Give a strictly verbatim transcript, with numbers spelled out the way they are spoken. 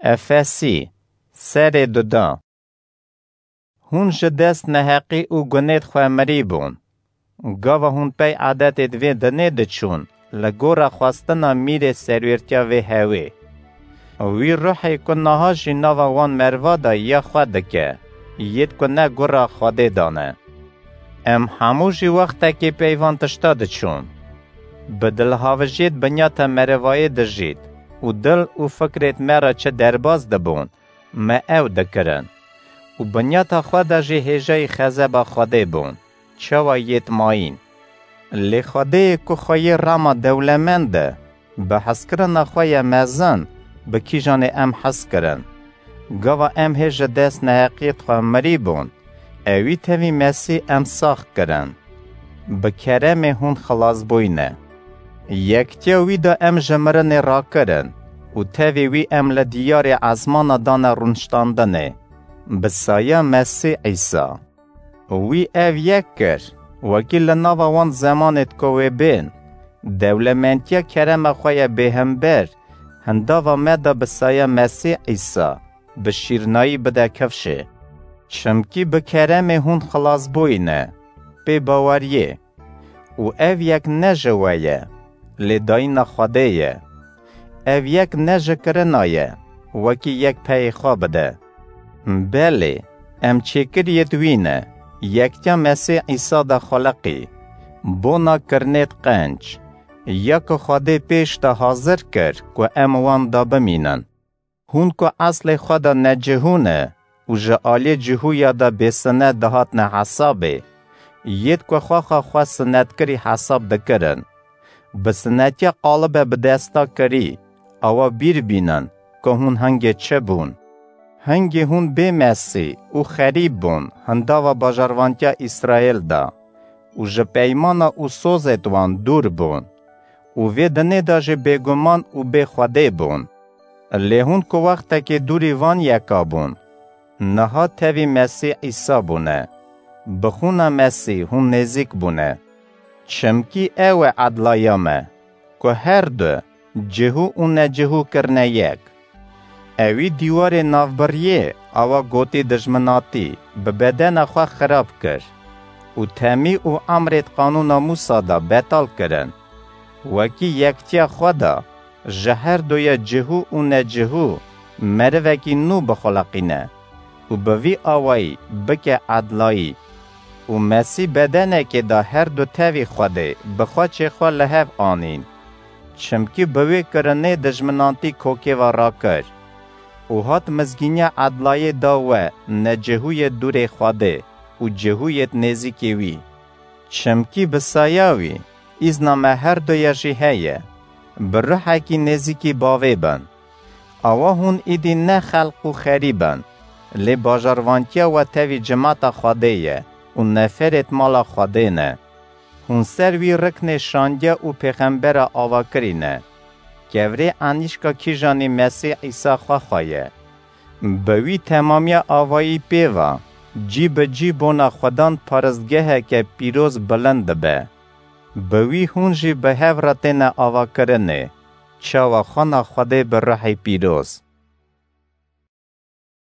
Efesî, serê duda. Hûn ji dest neheqî û gunêd xwe mirî bûn. Gava hûn pey edetêd vê dinê diçûn, li gora xwestina mîrê serwêrtiya vê hewê. Wî ruhê ku niha jî nava wan merva de ya xwe dike, yêd ku ne gora Xwedê de ne. Em hemû jî wextekê pey van tişta diçûn. Bi dilhavijiyêd binyata merivayê dijît û dil û fikrêd me re çi derbas dibûn, me ew dikirin. Û binyata xwe de jî hêjayî xezeba Xwedê bûn, çawa yêd mayîn. Lê Xwedêyê ku xweyê rema dewlemend e, bi hezkirina xwe ya mezin, bi kîjanê em hez kirin. Gava em hê ji dest neheqiyêd xwe mirî bûn, ewî tevî Mesîh em sax kirin. Bi keremê hûn xilas bûyne. Yektiya wî de em ji mirinê rakirin û tevî wî em li diyarê ezmana dane rûniştandinê, bi saya Mesîh Îsa. Wî ev yek kir, wekî li nava wan zemanêd ku wê bên, dewlementiya kerema xwe ya bêhember, hindava me de bi saya Mesîh Îsa, bi şîrnayî bide kifşê. Çimkî bi keremê hûn xilas bûyne, pê baweriyê. Û ev yek ne ji we ye, lê dayîna Xwedê ye. Ev yek ne ji kirina ye, wekî yek peyê xwe bide. Belê, em çêkiriyêd wî ne, yektiya Mesîh Îsa de xuliqî, bona kirinêd qenc, ya ku Xwedê pêş de hazir kir ku em wan de bimînin. Hûn ku eslê xwe de necihû ne û ji aliyê cihûya de bêsinet dihatine hesabê, yêd ku xwexa xwe sinetkirî hesab dikirin. Bi sinetiya qalibe bi desta kirî, awa bîr bînin ku hûn hingê çi bûn. Hingê hûn bê Mesîh û xerîb bûn hindava bajarvantiya Îsraêl de û ji peymana û sozêd wan dûr bûn û vê dinê de jî bêguman û bê Xwedê bûn. Lê hûn ku wextekê dûrî van yeka bûn, niha tevî Mesîh Îsa bûne, bi xûna Mesîh hûn nêzîk bûne. Çimkî ew e edlaya me, ku her du, cihû û necihû kirine yek. Ewî dîwarê navbiriyê awa gotî dijminatî bi bedena xwe xirab kir û temî û emrêd qanûna Mûsa de betal kirin. Wekî yektiya xwe de ji her duya cihû û necihû merivekî nû bixuliqîne û bi vî awayî bike edlayî. Û Mesîh bedenekê de her du tevî Xwedê bi xweçê xwe li hev anîn. Çimkî bi wê kirinê dijminantî kokê ve rakir û hat mizgîniya edlayê da we necihûyê dûrê Xwedê û cihûyêd nêzîkê wî. Çimkî bi saya wî, îzna me her duya jî heye, bi ruhekî nêzîkî bavê bin. Awa hûn îdî ne xelq û xerîb in, lê bajarvantiya we tevî cimata Xwedê ye û neferêd mala Xwedê ne. Hûn ser wî riknê şandiya û pêxembera avakirî ne. Kevirê enîşka kîjanî Mesîh Îsa xwe xwe ye. Bi wî temamiya avayî pê ve, cî bi cî bona Xwedan paristgeheke pîroz bilind dibe. Bi wî hûn jî bi hev re têne avakirinê, çawa xwana Xwedê bi ruhê pîroz.